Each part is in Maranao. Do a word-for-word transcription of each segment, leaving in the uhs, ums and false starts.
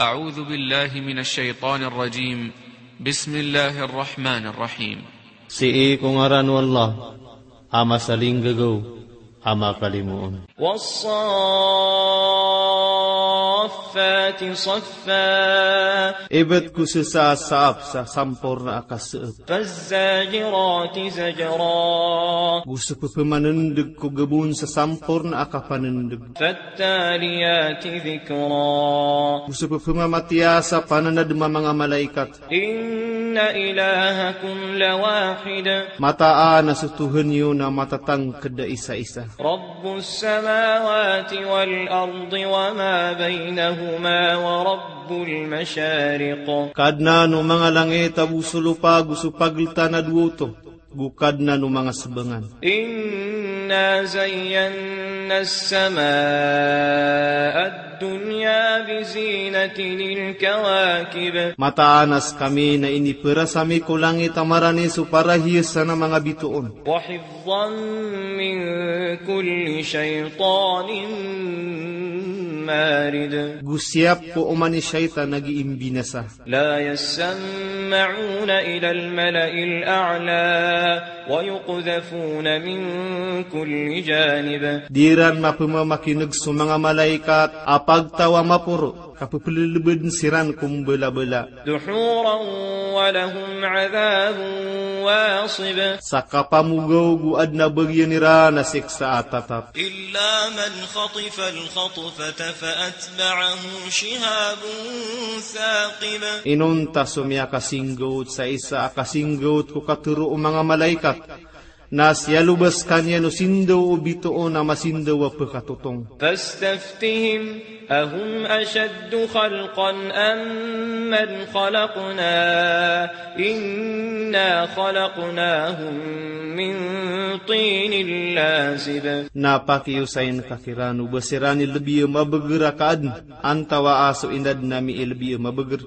أعوذ بالله من الشيطان الرجيم. بسم الله الرحمن الرحيم. Sii ko ngaran o Allah a masalinggagaw a makalimoon. والصافات صفا. Ibt ko sesa a saap sa samporna a kaseep. فالزاجرات زجرا. Go so pepemanendeg ko gabon sa samporna a kapanendeg. فالتاليات ذكرا. Go so pepemamatiya sa pananadem a manga malaikat. إن إلهكم لواحد. Mataan a so Tohan iyo na matatangked a isa-isa. رب السماوات والأرض وما بينهما ورب المشارق. Kadnan o manga langit ago so lopa ago so pageltan a dowa oto, go Kadnan o manga sebangan. إنا زينا السماء الدنيا بزينة الكواكب. Mataan a sekami na iniperas ami ko langit a marani so parahiyasan a manga bitoon. وحفظا من كل شيطان مارد. Go siyap ko oman i shaytan a gii mbinasa. لا يسمعون إلى الملأ الأعلى ويقذفون من كل جانب. Di iran mapemamakineg so manga malaikat a pagtaw a maporo, kapepelelebeden siran ko mbelabela. دحورا ولهم عذاب واصب. Sa kapamogaw go aden a bagian iran a siksa a tatap. إلا من خطف الخطفة فأتبعه شهاب ثاقب. Inonta so miyakasinggaot sa isa a kasinggaot ko katero o manga malaikat, na siyaloba sekaniyan o sindaw o bitoon a masindaw a pekatotong. فاستفتهم أهم أشد خلقا أم من خلقنا إنا خلقناهم من طين لازب. Na pakiyosayin ka kiran o ba siran i lebi a mabeger a kaaden, antawa a so inaden ami i lebi a mabeger.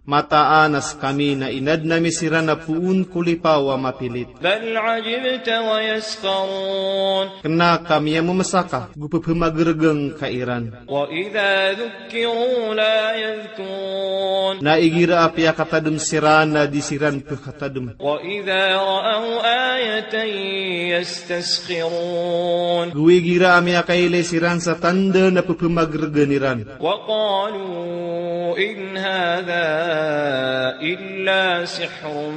Mataan a sekami na inaden ami siran a poon ko lipaw a mapilit. بل عجبت ويسخرون. Kena ka miyamemesaka, go pepemageregen ka iran. وإذا ذكروا لا يذكرون. Na igira a piyakatadem siran na di siran pekatadem. وإذا رأوا آية يستسخرون. Go igira a miyakailay siran sa tanda na pepemageregen iran. وقالوا إن هذا إلا سحر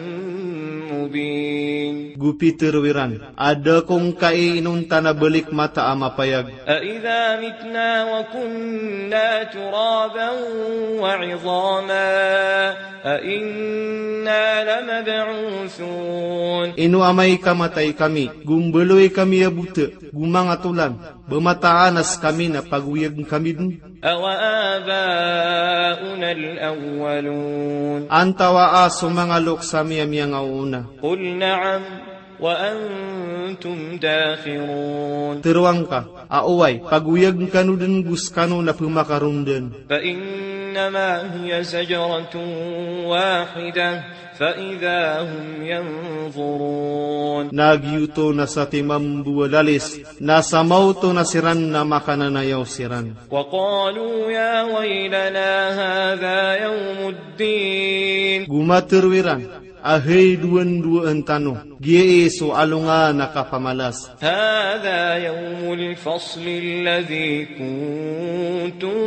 مبين. Go pitero iran a da ko ngkai inonta na balik mata a mapayag. أإذا متنا وكنا ترابا وعظاما أإنا لمبعوثون. Ino amay ka matay kami, go mbaloy kami a bota, go manga tolan, ba mataan a sekami na pagoyagen kami den? أوآباؤنا الأولون. Antawa a so manga loks ami a miyangaoona? قل نعم وأنتم داخرون. Teroang ka a oway, pagoyagen kano den go sekano na pemakarondan. فإنما هي زجرة واحدة فإذا هم ينظرون. Na giyoto na satiman bo a lalis, na samaoto na siran na makananayaw siran. وقالوا يا ويلنا هذا يوم الدين. Go matero iran a hay dowandowan tano, giyai so alongan a kapamalas. هذا يوم الفصل الذي كنتم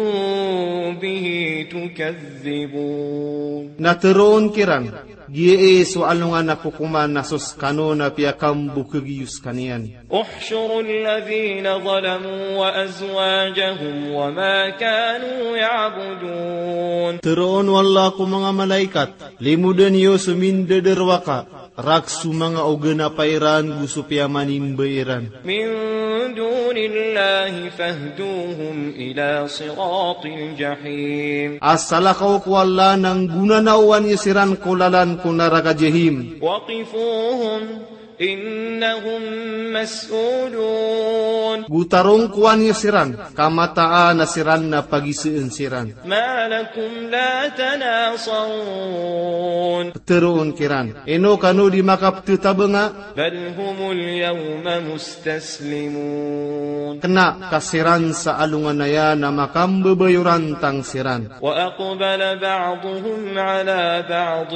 به تكذبون. Na teroon kiran, giyai so alongan a kokoman a so sekano na piyakambokegiyo sekaniyan. احشروا الذين ظلموا وأزواجهم وما كانوا يعبدون. Teroon o Allah ko manga malaikat, limoden iyo so mindadarowaka, rakhs o manga oganapa iran go so piyamanimba iran. من دون الله فاهدوهم إلى صراط الجحيم. A salakaw ko Allah na nggonanaowan iyo siran ko lalan ko naraka Jahim. وقفوهم إنهم مسؤولون. Go tarongkowan iyo siran, ka mataan a siran na pagiseen siran. ما لكم لا تناصرون. Ptharoon kiran, ino kano di makapthatabanga? بل هم اليوم مستسلمون. Kna ka siran sa alongan aya na makambabayorantang siran. وأقبل بعضهم على بعض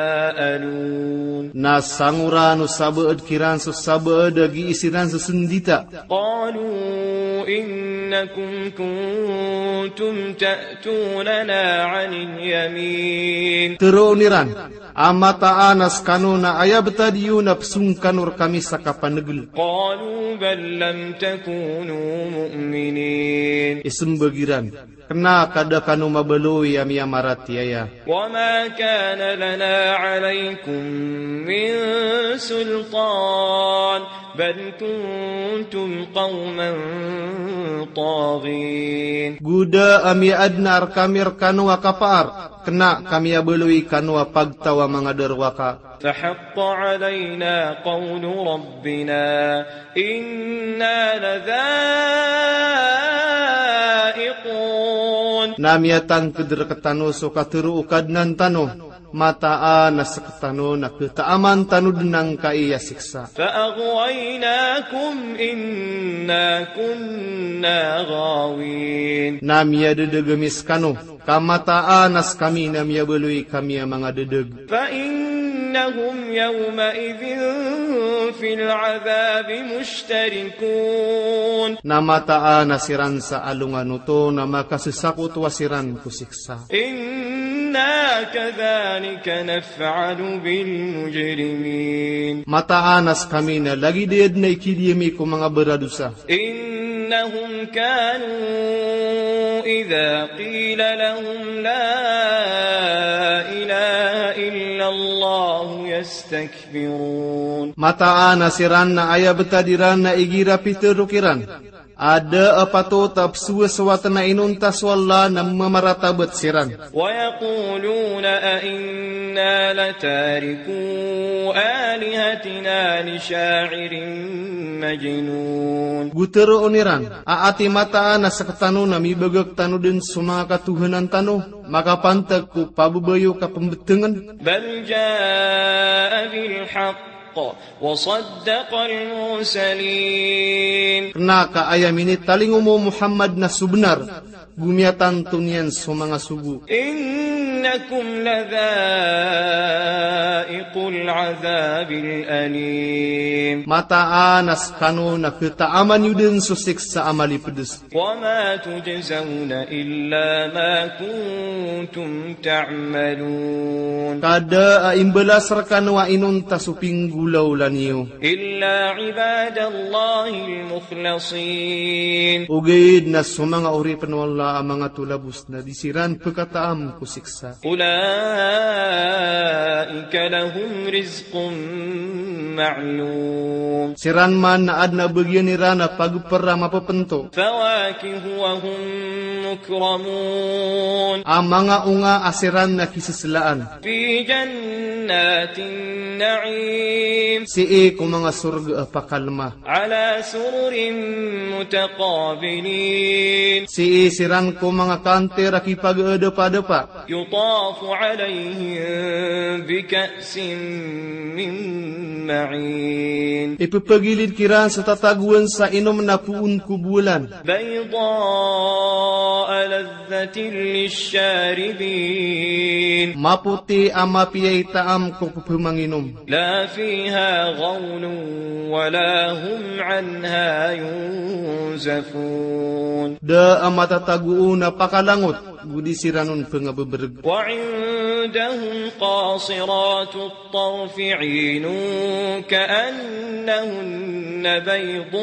يتساءلون. Na sangoran o sabaad kiran so sabaad a gii siran sesendita. قالوا إنكم كنتم تأتوننا عن اليمين. Tharoon iran, a mataan a skano na aya btad iyo na psong kano rkami sa kapanegel. قالوا بل لم تكونوا مؤمنين. Isembag iran, kna ka da kano mabaloy a miyamaratiyaya. وما كان لنا عليكم من سلطان بل كنتم قوما طاغين. Go da a miyaadn a rkami rkano a kapaar, kna ka miyabaloy kano a pagtaw a manga darowaka. فحق علينا قول ربنا إنا لذائقون. Na miyatangkd rktano so katharo o Kadnan tano, mataan a sktano na ktaaman tano dn angkai a siksa. فأغويناكم إنا كنا غاوين. Na miyadadg ami skano, ka mataan a skami na miyabaloy kami a manga dadg. فإنهم يومئذ في العذاب مشتركون. Na mataan a siran sa alongan oto na makassakotowa siran ko siksa. إنا كذلك نفعل بالمجرمين. Mataan a skami na lagid aya dn a ikidiyami ko manga baradosa. إنهم كانوا إذا قيل لهم لا إله إلا الله يستكبرون. Mataan a siran na aya btad iran na igira pitharo kiran a da a patot a pzowasowat na inonta so Allah na mamaratabat siran. ويقولون أئنا لتاركو آلهتنا لشاعر مجنون. Go tharoon iran, a ati mataan a sktano na mibagak tano dn so manga katohanan tano makapantag ko pababayo ka pmbtngn? بل جاء بالحق وصدق المرسلين. Kna ka aya minitalingoma o Muhammad na so bnar, go miyatanto niyan so manga sogo. إنكم لذائقو العذاب الأليم. Mataan a skano na ktaaman iyo dn so siksa a malipds. وما تجزون إلا ما كنتم تعملون. Ka da a imbalas rkano a inonta so pinggolawla niyo. إلا عباد الله المخلصين. Ogaid na so manga oripn o Allah a manga tolabos na di siran pkataam ko siksa. أولئك لهم رزق معلوم. Siran man na adn a bagian iran a pagpr a mapapnto. فواكه وهم مكرمون. A manga onga a siran na kiseslaan. في جنات النعيم. Sii ko manga sorga a pakalma. على سرر متقابلين. Sii siran ko manga kantir a kipagadapadapa. يطاف عليهم بكأس من معين. Ipphagilid kiran sa tatagoan sa inom na poon ko bolan. بيضاء لذة للشاربين. Mapoti a mapiya i taam ko pphamanginom. لا فيها غول ولا هم عنها ينزفون. Da a matatago on a pakalangot, go di siran on pngabbregreg. وعندهم قاصرات الطرف عين كأنهن بيض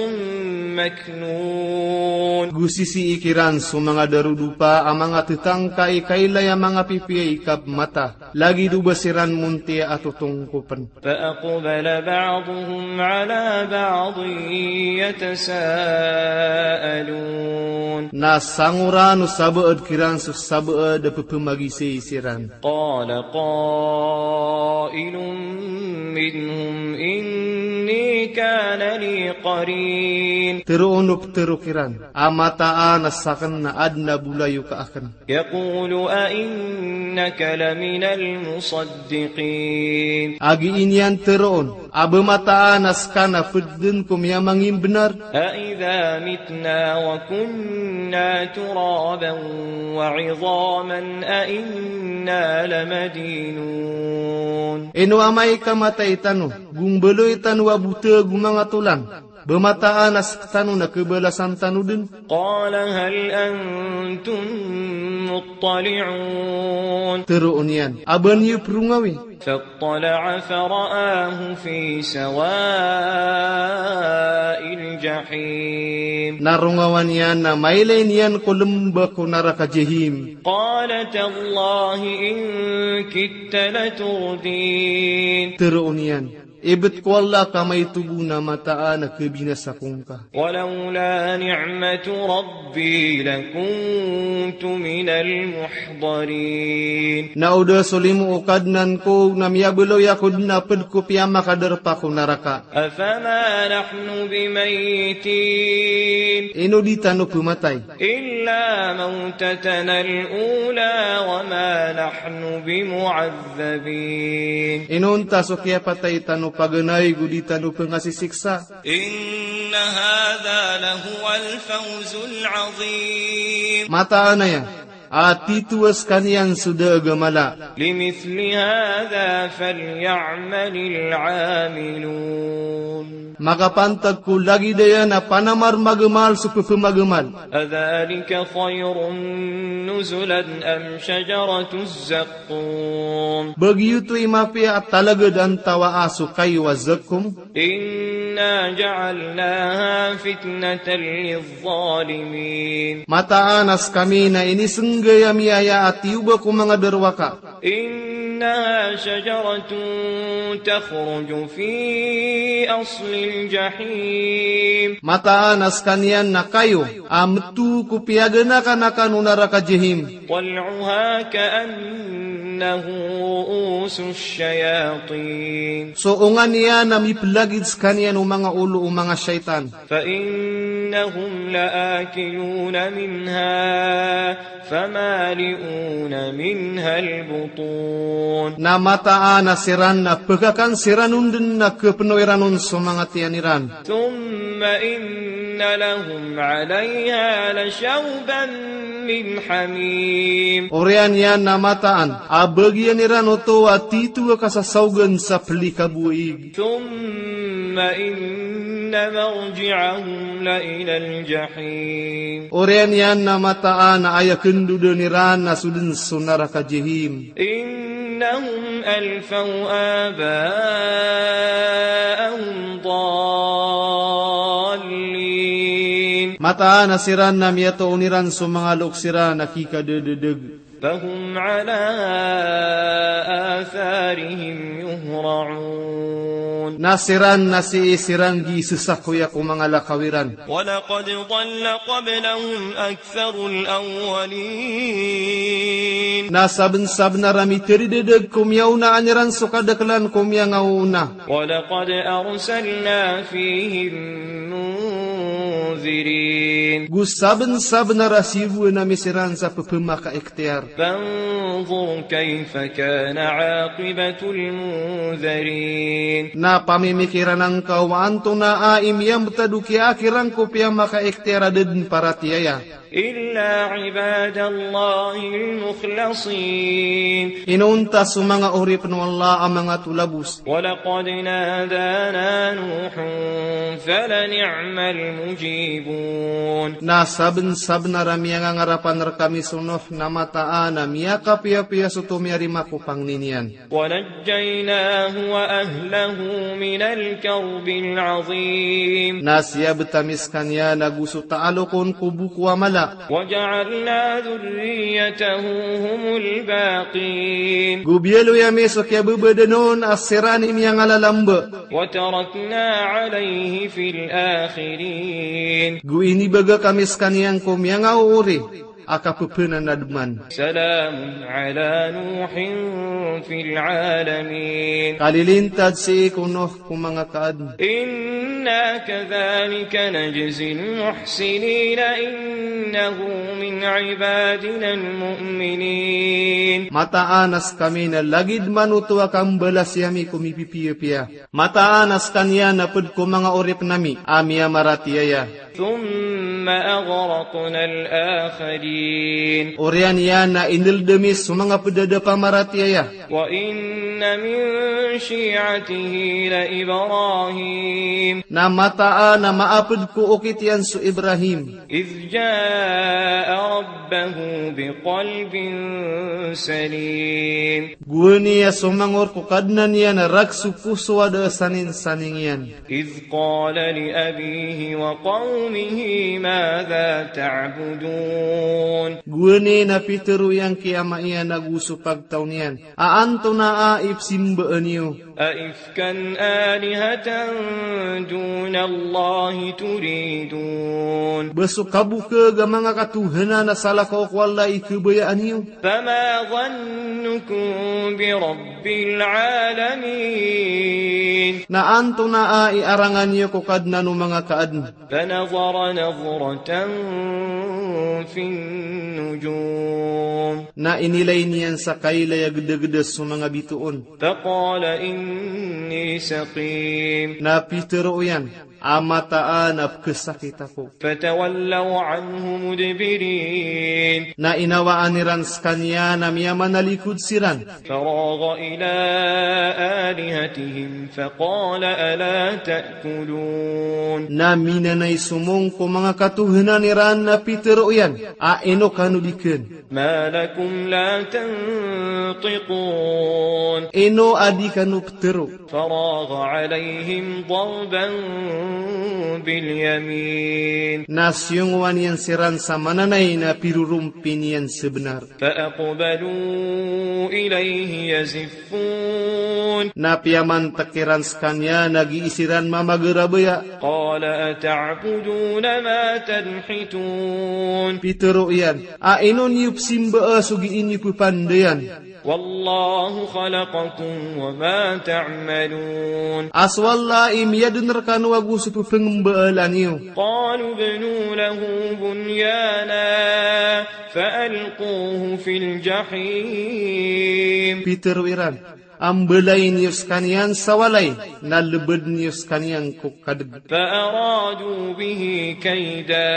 مكنون. Go sisii kiran so manga darodopa a manga ttangka i kailay a manga pipiya i kapmata. Lagid o ba siran montiya a totongkopn. فأقبل بعضهم على بعض يتساءلون. Na sangoran o sabaad kiran so sabaad a pphamagizai siran. قال قائل منهم إني كان لي قرين. Tero on o petero kiran a mataan a saken na aden a bolayoka aken. يقول أإنك لمن المصدقين. A gii niyan teroon a ba mataan a seka na ped den ko miyamangimbenar. أإذا متنا وكنا ترابا وعظاما أإنا لمدينون. Ino amay ka matay tano, go mbaloy tano a boteg o manga tolang, ba mataan a sektano na kebalasan tano den. قال هل أنتم مطلعون. Teroon iyan a ba niyo perongawi. فاطلع فرآه في سواء الجحيم. Na rongawan iyan na mailay niyan ko lemba ko naraka Jahim. قال تالله إن كدت لتردين. Teroon iyan, ibet ko Allah ka maito bo na mataan a kebinasa ko ngka. ولولا نعمة ربي لكنت من المحضرين. Na o da so limo o Kadnan ko na miyabaloy ako den a ped ko piyamakaderpa ko naraka. أفما نحن بميتين. Ino di tano pematay. إلا موتتنا الأولى وما نحن بمعذبين. Inonta so kiyapatay tano paganay go di tano pengasisiksa. إن هذا لهو الفوز العظيم. Mataan aya a tito a sekaniyan so daag a mala. لمثل هذا فليعمل العاملون. Makapantag ko lagid aya na panamar magamal so pepemagemal. أذلك خير نزلا أم شجرة الزقوم. Ba giyoto i mapiya a talagad antawaa so kayo a zakkum. إنا جعلناها فتنة للظالمين. Mataan a sekami na inisenggay ami aya a tiyoba ko manga darowaka. إنها شجرة تخرج في أصل الجحيم. Mataan a sekaniyan na kayo a meto ko piyaganakanakan o naraka Jahim. طلعها كأنه رءوس الشياطين. So onga niyan a mipelagid sekaniyan o manga olo o manga shaytan. فإنهم لآكلون منها فمالئون منها البطون. Na mataan a siran na pekakan siran on den na kepeno iran on so manga tiyan iran. ثم إن لهم عليها لشوبا من حميم. Oriyan iyan na mataan a bagian iran oto a tito a kasasaogan sa pelikabo a ig. ثم إن مرجعهم لإلى الجحيم. Oriyan iyan na mataan a aya kendodan iran na so den so naraka Jahim. إنهم ألفوا آباءهم ضالين. Mataan a siran na miyatoon iran so manga loks iran a kikadededeg. فهم على آثارهم يهرعون. Na siran na sii siran gii sesakoya ko manga lakaw iran. ولقد ضل قبلهم أكثر الأولين. Na sabensabenar a miteridedeg ko miyaonaan iran so kadaklan ko miyangaoona. ولقد أرسلنا فيهم منذرين. Go sabensabenar a siyogoan ami siran sa pepemakaikhtiyar. فانظر كيف كان عاقبة المنذرين. Na pamimikiran angka o antonaa i miyambetad o kiyaakir angka o piyamakaikhtiyar a da den paratiyaya. إلا عباد الله المخلصين. Inonta so manga oripen o Allah a manga tolabos. ولقد نادانا نوح فلنعم المجيبون. Na sabensabenar a miyangangarapan rekami so Nuh na mataan a miyakapiyapiya so tomiyarima ko pangni niyan. ونجيناه وأهله من الكرب العظيم. Na siyabet ami sekaniyan ago so taalokon ko boko a mala. وجعلنا ذريته هم الباقين. Go biyaloy ami so kiyabebadan on a siran i miyangalalambe. وتركنا عليه في الآخرين. Go inibagak ami sekaniyan ko miyangaoori. a kapepenanadman. سلام على نوح في العالمين. Kalilintad sii ko Nuh ko manga kaadn. إنا كذلك نجزي المحسنين إنه من عبادنا المؤمنين. Mataan a skami na lagid man oto a kambalasi ami ko mipipiyapiya. Mataan a skaniyan a pd ko manga oripn ami a miyamaratiyaya. ثم أغرقنا الآخرين. Oriyan iyan na inld ami so manga pd a da pamaratiyaya. وإن من شيعته لإبراهيم. Na mataan a maapd ko okit iyan so Ibrahim. إذ جاء ربه بقلب سليم. Gowani a somangor ko Kadnan iyan a rk so poso a da a saninsaning iyan. إذ قال لأبيه وقومه ماذا تعبدون. Gowani na pitharo iyan ki ama iyan ago so pagtaw niyan a antonaa i pzimbaan iyo. أئفكا آلهة دون الله تريدون. Ba so kabokag a manga katohanan a salakaw ko Allah i khabayaan iyo. فما ظنكم برب العالمين. Na antonaa i arangan iyo ko Kadnan o manga kaadn. فنظر نظرة في النجوم. Na inilay niyan sa kailay a gdagda so manga bitoon. فقال إني سقيم. Na pitharo iyan a mataan a pkhasakit ako. فتولوا عنه مدبرين. Na inawaan iran skaniyan a miyamanalikod siran. فراغ إلى آلهتهم فقال ألا تأكلون. Na minanay somong ko manga katohanan iran na pitharo iyan a ino kano di kn. ما لكم لا تنطقون. Ino a di kano ptharo. فراغ عليهم ضربا باليمين. Na siyongowan iyan siran sa mananay na pirorompi niyan sa bnar. فأقبلوا إليه يزفون. Na piyamantk iran skaniyan a gii siran mamagarabaya. قال أتعبدون ما تنحتون. Pitharo iyan a ino niyo pzimbaa so gii niyo ppandayan. والله خلقكم وما تعملون. A so Allah i miyadn rkano ago so pphangbaalan iyo. قالوا ابنوا له بنيانا فألقوه في الجحيم. Pitharo iran a mbalayin iyo skaniyan sa walay na lbadn iyo skaniyan ko kadg. فأرادوا به كيدا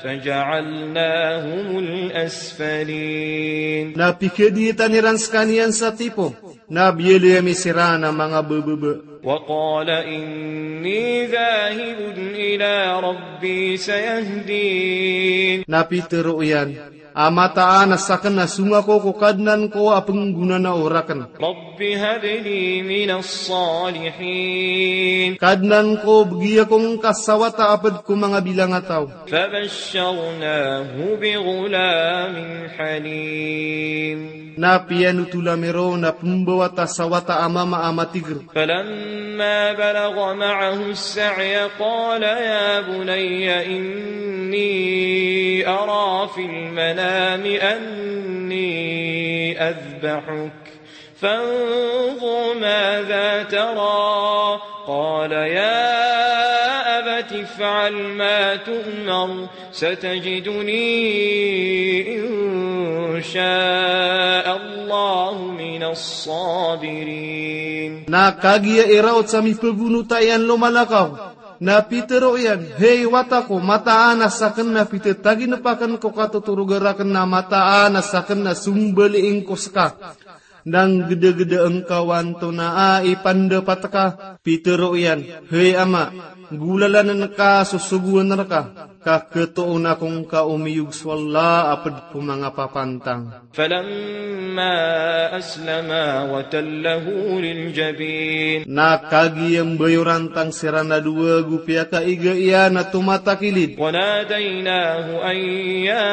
فجعلناهم الأسفلين. Na pikadiyitan iran skaniyan sa tipo, na biyaloy ami siran a manga bbaba. وقال إني ذاهب إلى ربي سيهدين. Na pitharo iyan a mataan a sakn na song ako ko Kadnan ko a pnggonanao rakn. رب هب لي من الصالحين. Kadnan ko, bgi ako ngka sa wata a pd ko manga bilangataw. فبشرناه بغلام حليم. Na piyanothol ami ron a pmbawata sa wata a mama a matigr. فلما بلغ معه السعي قال يا بني إني أرى في المنام أني أذبحك فانظر ماذا ترى قال يا أبت افعل ما تؤمر ستجدني إن شاء الله من الصابرين. Na kagiya i raot sa mipagonota iyan lomalakaw, na pitharo iyan, hay wata ko, mataan a sakn na pitataginp akn ko katotoroga rakn, na mataan a sakn na sombaliing ko ska. Na nggdagda ngka o antonaa i pandapat ka. Pitharo iyan, hay ama, golalann ka so sogoan rka, ka khatoon ako ngka o miyog so Allah a pd ko manga papantang. فلما أسلما وتله للجبين. Na kagiya mbayorantang siran a dowa go piyakaiga iyan a tomatakilid. وناديناه أن يا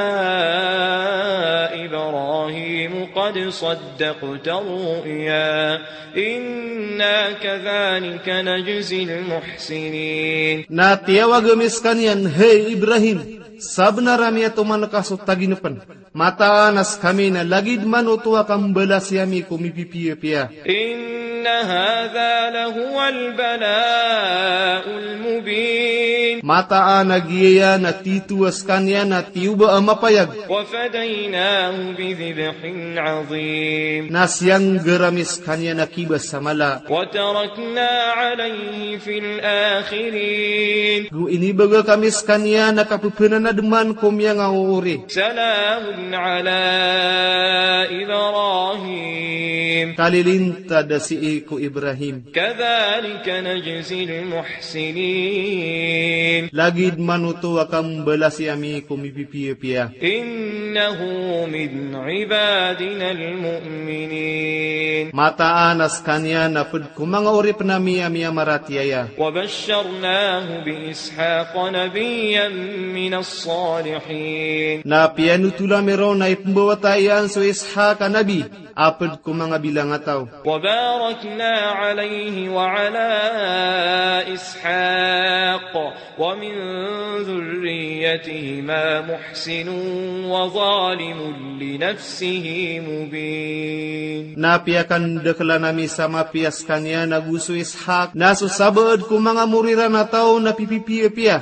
إبراهيم قد صدقت الرؤيا إنا كذلك نجزي المحسنين. Na tiyawag ami skaniyan, hay Ibrahim, Sabnar a miyatoman ka so taginpn. Mataan a skami na lagid man oto a kambalasi ami ko mipipiyapiya. إن هذا لهو البلاء المبين. Mataan a giyaya na tito a skaniyan a tiyoba a mapayag. وفديناه بذبح عظيم. Na siyanggar ami skaniyan a kibas a mala. وتركنا عليه في الآخرين. Go inibagak ami skaniyan a kapphanademan ko miyangaoori. سلام على إبراهيم. Kalilintad a sii ko Ibrahim. كذلك نجزي المحسنين. Lagid man oto a kambalasi ami ko mipipiyapiya. إنه من عبادنا المؤمنين. Mataan a skaniyan a pd ko manga oripn ami a miyamaratiyaya. وبشرناه بإسحاق نبيا من الصالحين. Na piyanotol ami ron a ipmbawata iyan so Ishaq a nabi a pd ko manga bilangataw. وباركنا عليه وعلى إسحاق ومن ذريتهما محسن وظالم لنفسه مبين. Na piyakandaklan ami sa mapiya skaniyan a go so Ishaq, na so sabaad ko manga mori ran a taw na pipipiyapiya.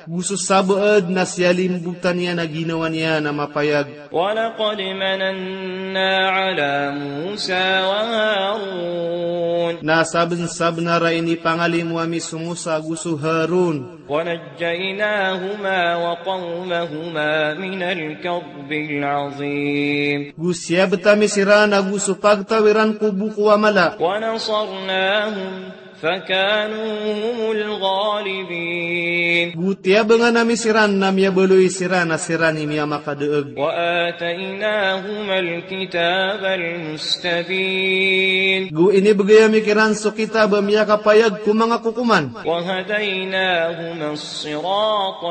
Go so sabaad na siyalimbotan iyan a ginawa niyan a mapayag. ولقد مننا على موسى وهارون. Na sabnsabnar a inipangalimo ami so Musa go so Harun. ونجيناهما وقومهما من الكرب العظيم. Go siyabt ami siran ago so pagtaw iran ko boko a mala. ونصرناهم فكانوا هم الغالبين. Go tiyabangan ami siran na miyabaloy siran a siran i miyamakadaag. وآتيناهما الكتاب المستبين. Go inibgay ami kiran so kitab a miyakapayag ko manga kokoman. وهديناهما الصراط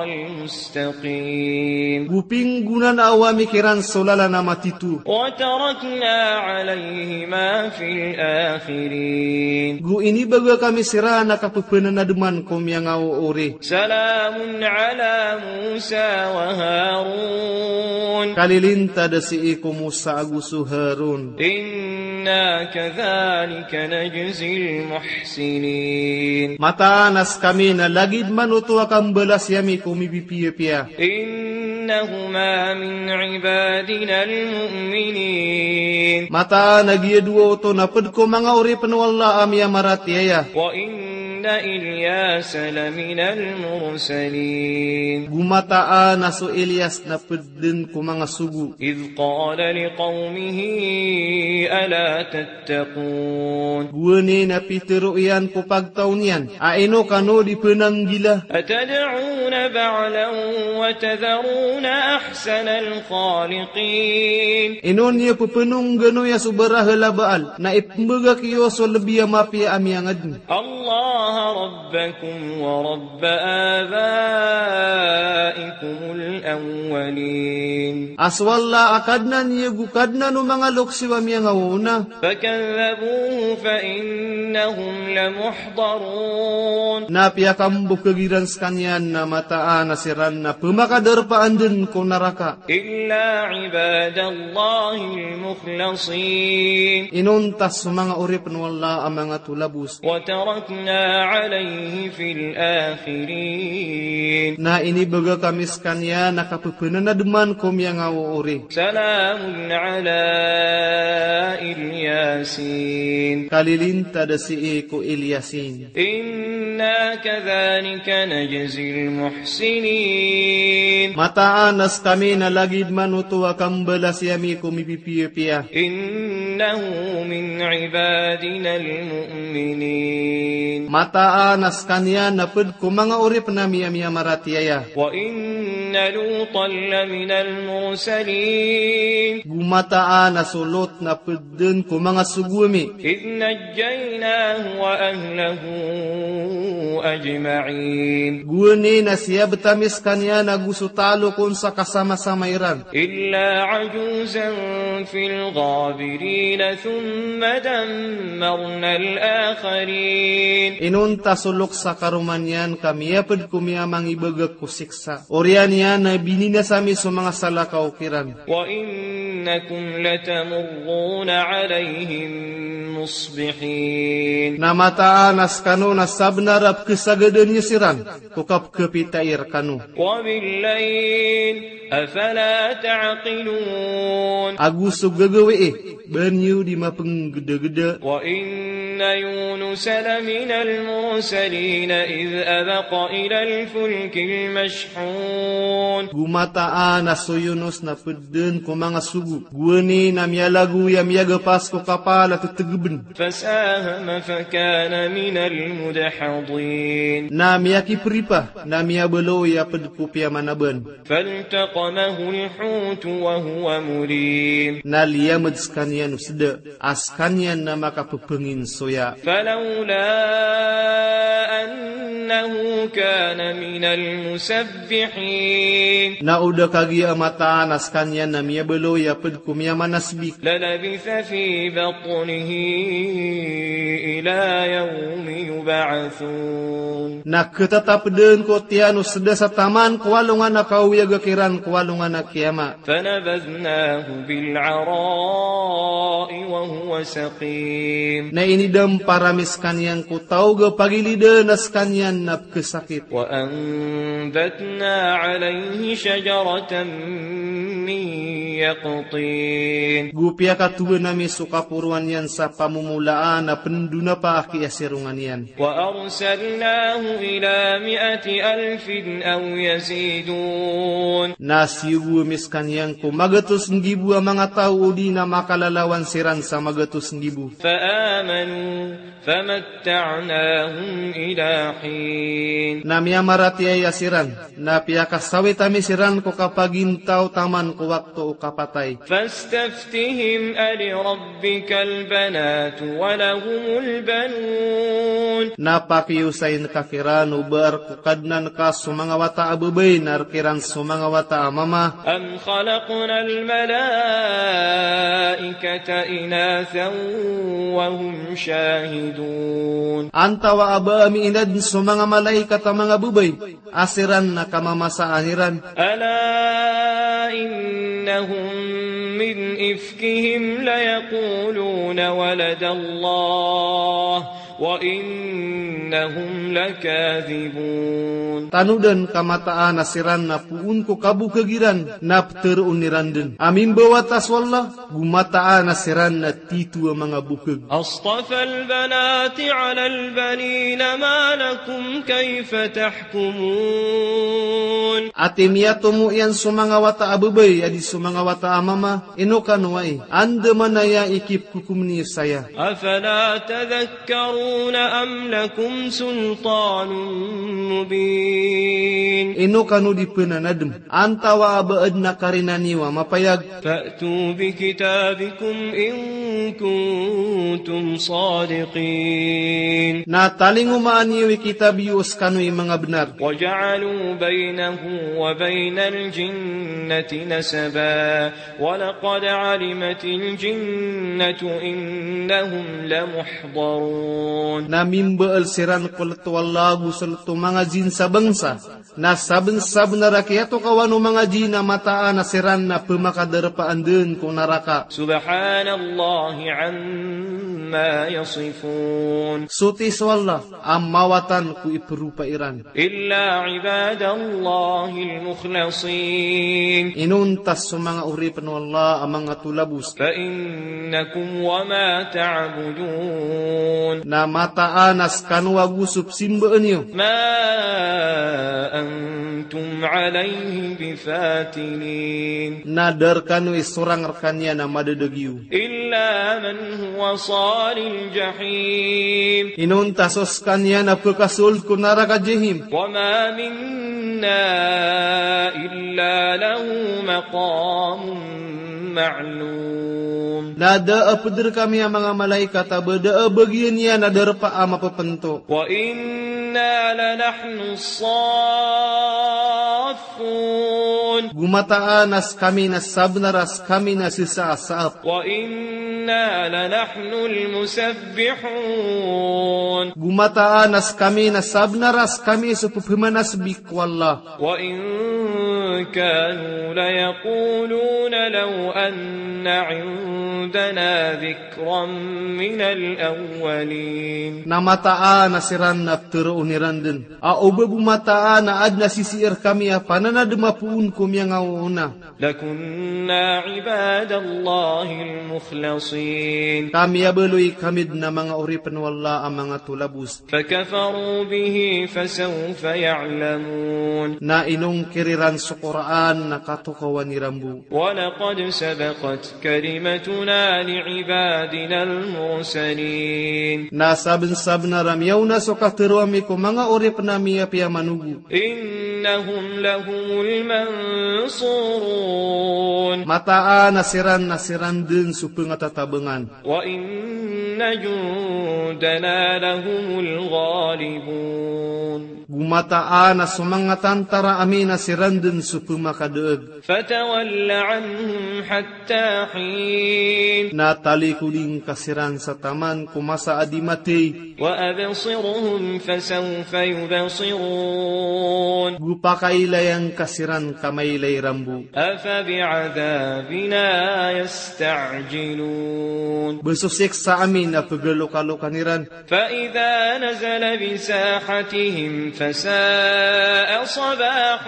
المستقيم. Go pinggonanao ami kiran so lalan a matito. وتركنا عليهما في الآخرين. Go inibagak ami siran a kapphanademan ko miyangaoori. سلام على موسى وهارون. Kalilintad a sii ko Musa ago so Harun. إنا كذلك نجزي المحسنين. Mataan a skami na lagid man oto a kambalasi ami ko mipipiyapiya. إنهما من عبادنا المؤمنين. Mataan a giya dowa oto na pd ko manga oripn o Allah a miyamaratiyaya. وإن إلياس لمن المرسلين. Go mataan a so Ilyas na pd dn ko manga sogo. إذ قال لقومه ألا تتقون. Gowani na pitharo iyan ko pagtaw niyan a ino kano di pnanggila. أتدعون بعلا وتذرون أحسن الخالقين. Ino niyo pphanongganoya so barahal a Baal na ipmbagak iyo so lbi a mapiya a miyangadn. الله ربكم ورب آبائكم الأولين. A so Allah a Kadnan iyo go Kadnan o manga loks iyo a miyangaoona. فكذبوه فإنهم لمحضرون. Na piyakambokag iran skaniyan na mataan a siran na pmakadarpaan dn ko naraka. إلا عباد الله المخلصين. Inonta so manga oripn o Allah a manga tolabos. وتركنا عليه في الآخرين. Na inibagak ami skaniyan a kapphanademan ko miyangaoori. سلام على الياسين. Kalilintad a sii ko Ilyasin. إنا كذلك نجزي المحسنين. Mataan a skami na lagid man oto a kambalasi ami ko mipipiyapiya. إنه من عبادنا المؤمنين. Mataan a skaniyan na pd ko manga oripn ami a miyamaratiyaya. وإن لوطا لمن المرسلين. Go mataan a so Lot na pd dn ko manga sogo ami. إذ نجيناه وأهله أجمعين. Gowani na siyabet ami skaniyan ago so talo kon sa kasamasama iran. إلا عجوزا في الغابرين ثم دمرنا الآخرين. Inonta so loks a karoma niyan ka miyaped ko miyamangibagak ko siksa. Oriyan iyan na bininasa mi so manga salakaw kiran. وإنكم لتمرون عليهم مصبحين. Na mataan a skano na sabnar a pkhasagadan iyo siran ko kapkhapitai rkano. وبالليل أفلا تعقلون. Ago so gagawii, ba niyo di mapnggdagda. وإن يونس لمن المرسلين إذ أبق إلى الفلك المشحون. Go mataan a so Yunus na ped dn ko manga sogo. Gowani na miyalagoy a miyagapas ko kapal a tetegeben. فساهم فكان من المدحضين. Na miyakipripa, na miyabaloy a ped ko piyamanaban. فالتقمه الحوت وهو مليم. Na liyamed skaniyan o seda, a skaniyan na makapepengin soya. فلولا أنه كان من المسبحين. Na o da kagiya mataan a skaniyan na miyabaloy a ped ko miyamanasbik. للبث في بطنه إلى يوم يبعثون. Na khatatap dn ko tiyan o seda sa taman ko alongan a kaoyaga kiran ko alongan a kiyamat. فنبذناه بالعراء وهو سقيم. Na inidampar ami skaniyan ko taw a pagilidan a skaniyan na pkhasakit. وأنبتنا عليه شجرة من يقطين. Go piyakatowan ami so kaporoan iyan sa pamomolaan a pendonapa a kiyasirongan iyan. وأرسلناه إلى مائة ألف أو يزيدون. Na siyogo ami skaniyan ko magatos nggibo a manga taw odi na makalalawan siran sa magatos nggibo. فآمنوا فمتعناهم إلى حين. Na miyamaratiyaya siran, na piyakasawit ami siran ko kapagintaw taman ko wakto o kapatay. فاستفتهم ألربك البنات ولهم البنون. Na pakiyosayin ka kiran o ba a rk o Kadnan ka so manga wata a babay na rk iran so manga wata a mama. أم خلقنا الملائكة إناثا وهم شاهدون. Antawa a ba ami inadn so manga malaikat a manga babay a siran na kamamasaan iran. ألا إنهم من إفكهم ليقولون ولد الله وإنهم لكاذبون. Tanodan ka mataan a siran na poon ko kabokeg iran na ptharoon iran dn a mimbawata so Allah, go mataan a siran na tito a manga bokeg. أصطفى البنات على البنين ما لكم كيف تحكمون. Ati miyatomo iyan so manga wata a babay a di so manga wata a mama, ino kano ai, anda manaya i kipkokom niyo saya. أفلا تذكرون أم لكم سلطان مبين. Ino kano di pnanadm, antawa a ba adn a karina niyo a mapayag. فأتوا بكتابكم إن كنتم صادقين. Na talingomaan iyo i kitab iyo o skano i manga bnar. وجعلوا بينه وبين الجنة نسبا ولقد علمت الجنة إنهم لمحضرون. Na mimbaal siran ko lto o Allah ago so lto o manga jinn sa bangsa. Na sabnsabnar a kiyatokawan o manga jinn a mataan a siran na pmakadarpaan dn ko naraka. سبحان الله عما يصفون. Soti so Allah a mawatan ko ipropa iran. إلا عباد الله المخلصين. Inonta so manga oripn o Allah a manga tolabos. فإنكم وما تعبدون. Na mataan a skano ago so pzimbaan iyo. ما أنتم عليه بفاتنين. Na da rkano i sorang rkaniyan a madadagiyo. إلا من هو صال الجحيم. Inonta so skaniyan a pkasold ko naraka Jahim. وما منا إلا له مقام معلوم. Na da a pd rkami a manga malaikat a ba da a bagian iyan a darpa a mapapnto. وإن إنا لنحن الصافون. Go mataan a skami na sabnar a skami na sisa a saap. وإنا لنحن المسبحون. Go mataan a skami na sabnar a skami so pepemanasbi ko Allah. وإن كانوا ليقولون لو أن عندنا ذكرا من الأولين. Na mataan a siran na ptharoon iran dn a oba bo mataan a adn a sisii rkami a pananadm a poon ko miyangaoona. لكنا عباد الله المخلصين. Ka miyabaloy kami dn a manga oripn o Allah a manga tolabos. فكفروا به فسوف يعلمون. Na inongkir iran so Qur'an na katokawan iran bo. ولقد سبقت كلمتنا لعبادنا المرسلين. Na sabnsabnar a miyaona so katharoa ami ko manga oripn ami a piyamanogo. إنهم لهم المنصورون. Mataan a siran na siran dn so pngatatabngan. وإن جندنا لهم الغالبون. Go mataan a so manga tantara ami na siran dn so pmakadaag. فتول عنهم حتى حين. Na talikodi ngka siran sa taman ko masa a di mathay. وأبصرهم فسوف يبصرون. Go pakailaya ngka siran ka mailay iran bo. أفبعذابنا يستعجلون. Ba so siksa ami na pgalokalokan iran. فإذا نزل بساحتهم فساء صباح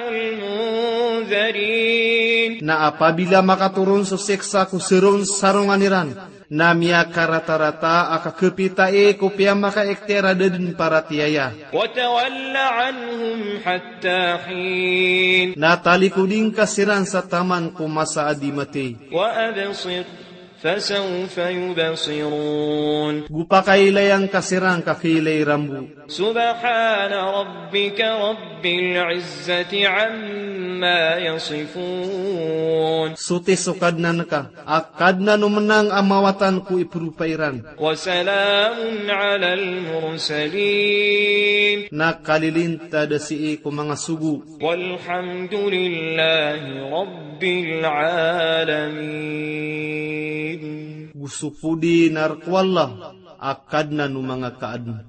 المنذرين. Na apabila makatoron so siksa ko saron sarongan iran, na miyakaratarata a kakapita i ko piyamakaiktiar a da dn paratiyaya. وتول عنهم حتى حين. Na talikodi ngka siran sa taman ko masa a di mathay. وأبصر فسوف يبصرون. Go pakailaya ngka siran ka kailay iran bo. سبحان ربك رب العزة عما يصفون. Soti so Kadnan ka a Kadnan o mnang a mawatan ko ipropa iran. وسلام على المرسلين. Na kalilintad sii ko manga sogo. والحمد لله رب العالمين. Go so podi na rk o Allah a Kadnan o manga kaadn.